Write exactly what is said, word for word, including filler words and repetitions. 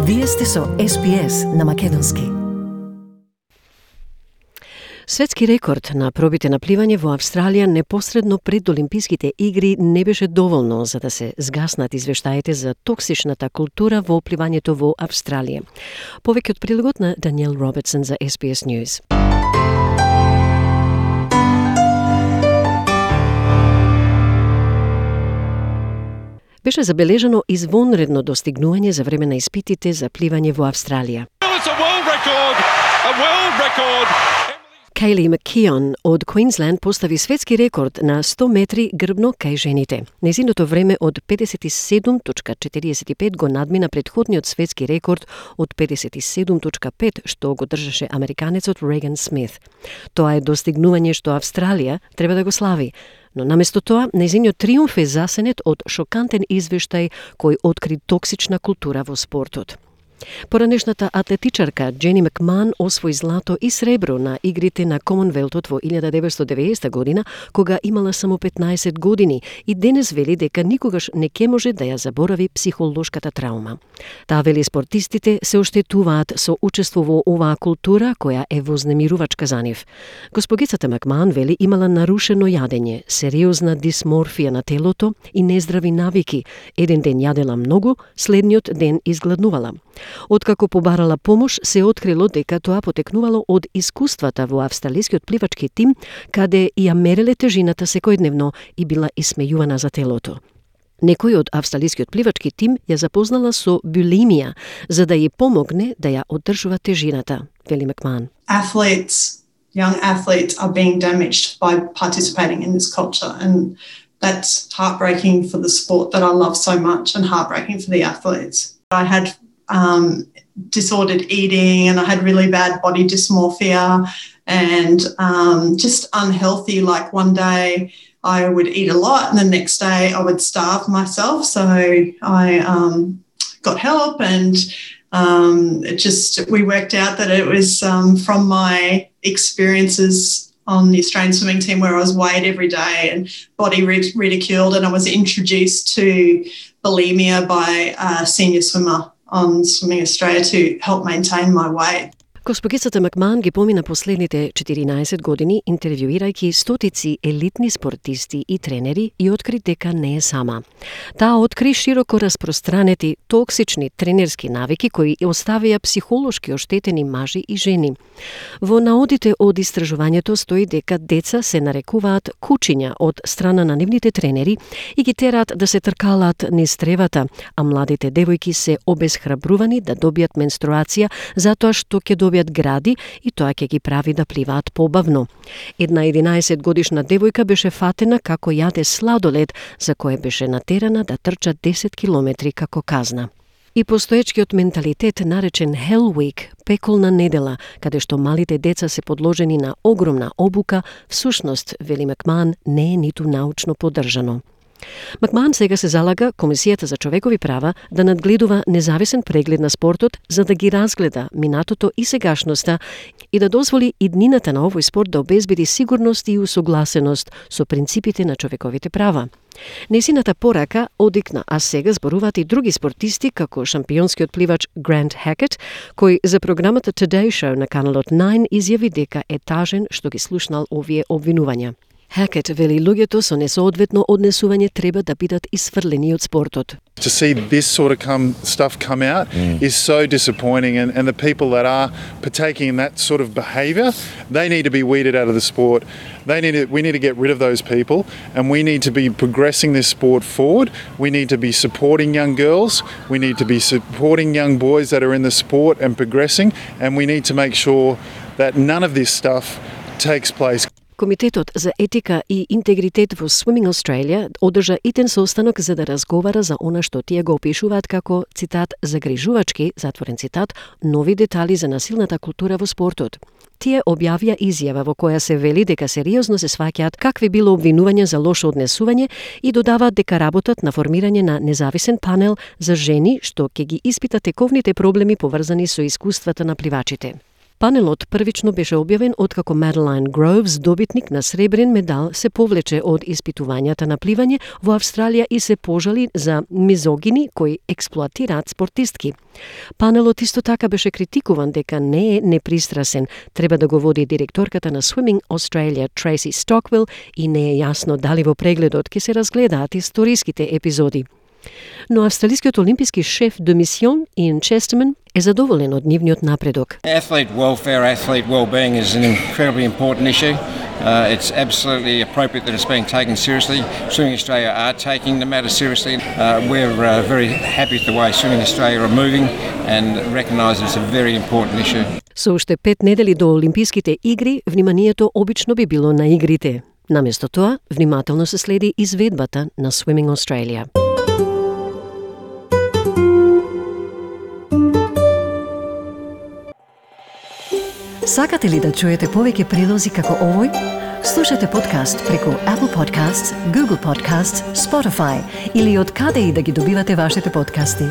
Вие сте со Ес Би Ес на македонски. Светски рекорд на пробите на пливање во Австралија непосредно пред Олимписките игри не беше доволно за да се згаснат извештаите за токсичната култура во пливањето во Австралија. Повеќе од прилогот на Даниел Робертсон за Ес Би Ес News. Беше забележано извонредно достигнување за време на испитите за пливање во Австралија. Кейли Маккеон од Квинсленд постави светски рекорд на сто метри грбно кај жените. Незиното време од педесет и седум точка четириесет и пет го надмина претходниот светски рекорд од педесет и седум точка пет што го држеше американецот Реган Смит. Тоа е достигнување што Австралија треба да го слави. Но наместо тоа, нејзиниот триумф е засенет од шокантен извештај кој откри токсична култура во спортот. Поранешната атлетичарка Джени Макман освои злато и сребро на игрите на Комонвелтот во илјада деветстотини и деветдесета година, кога имала само петнаесет години и денес вели дека никогаш не ќе може да ја заборави психолошката траума. Таа вели спортистите се оштетуваат со учество во оваа култура која е вознемирувачка за нив. Госпогицата Макман вели имала нарушено јадење, сериозна дисморфија на телото и нездрави навики. Еден ден јадела многу, следниот ден изгладнувала. Откако побарала помош, се открило дека тоа потекнувало од искуствата во австралискиот пливачки тим, каде ја мереле тежината секојдневно и била исмејувана за телото. Некој од австралискиот пливачки тим ја запознала со булимија, за да ја помогне да ја одржува тежината, вели Макман. Athletes, young athletes are being damaged by participating in this culture, and that's heartbreaking for the sport that I love so much and heartbreaking for the athletes. I had Um, disordered eating, and I had really bad body dysmorphia and um, just unhealthy. Like one day I would eat a lot and the next day I would starve myself. So I um, got help, and um, it just, we worked out that it was um, from my experiences on the Australian swimming team where I was weighed every day and body ridiculed, and I was introduced to bulimia by a senior swimmer on Swimming Australia to help maintain my weight. Госпогицата Макман ги помина последните четиринаесет години интервјуирајќи стотици елитни спортисти и тренери и откри дека не е сама. Таа откри широко распространети токсични тренерски навики кои оставија психолошки оштетени мажи и жени. Во наодите од истражувањето стои дека деца се нарекуваат кучиња од страна на нивните тренери и ги терат да се тркалаат низ тревата, а младите девојки се обесхрабрувани да добијат менструација затоа што ќе добијат гради и тоа ќе ги прави да пливаат побавно. Една единаесет годишна девојка беше фатена како јаде сладолед за кое беше натерана да трча десет километри како казна. И постоечкиот менталитет наречен Hell Week, пеколна недела, каде што малите деца се подложени на огромна обука, всушност, вели Макман, не е ниту научно поддржано. Макман сега се залага Комисијата за човекови права да надгледува независен преглед на спортот за да ги разгледа минатото и сегашноста и да дозволи иднината на овој спорт да обезбеди сигурност и усогласеност со принципите на човековите права. Несината порака одикна, а сега зборуваат и други спортисти како шампионскиот пливач Грант Хакет, кој за програмата Today Show на каналот најн изјави дека е тажен што ги слушнал овие обвинувања. Хакет вели луѓето со несоодветно однесување треба да бидат исфрлени од спортот. To see this sort of come, stuff come out mm. is so disappointing, and, and the people that are partaking in that sort of behaviour, they need to be weeded out of the sport. They need to, we need to get rid of those people, and we need to be progressing this sport forward. We need to be supporting young girls, we need to be supporting young boys that are in the sport and progressing, and we need to make sure that none of this stuff takes place. Комитетот за етика и интегритет во Swimming Australia одржа итен состанок за да разговара за она што тие го опишуваат како, цитат, загрижувачки, затворен цитат, нови детали за насилната култура во спортот. Тие објавија изјава во која се вели дека сериозно се сваќаат какви било обвинувања за лошо однесување и додаваат дека работат на формирање на независен панел за жени што ќе ги испита тековните проблеми поврзани со искуствата на пливачите. Панелот првично беше објавен откако Маделайн Гроувс, добитник на сребрен медал, се повлече од испитувањата на пливање во Австралија и се пожали за мизогини кои експлоатираат спортистки. Панелот исто така беше критикуван дека не е непристрасен, треба да го води директорката на Swimming Australia Tracy Stockwell и не е јасно дали во прегледот ќе се разгледаат историските епизоди. Но австралискиот олимписки шеф де мисион Иан Chesterman е задоволен од нивниот напредок. Athlete welfare, athlete well-being is an incredibly important issue. Uh, it's absolutely appropriate that it's being taken seriously. Swimming Australia are taking the matter seriously. Uh, we're uh, very happy with the way Swimming Australia are moving and recognise it's a very important issue. Со уште пет недели до Олимписките игри, вниманието обично би било на игрите. Наместо тоа, внимателно се следи изведбата на Swimming Australia. Сакате ли да чуете повеќе прилози како овој? Слушате подкаст преку Apple Podcasts, Google Podcasts, Spotify или од каде и да ги добивате вашите подкасти.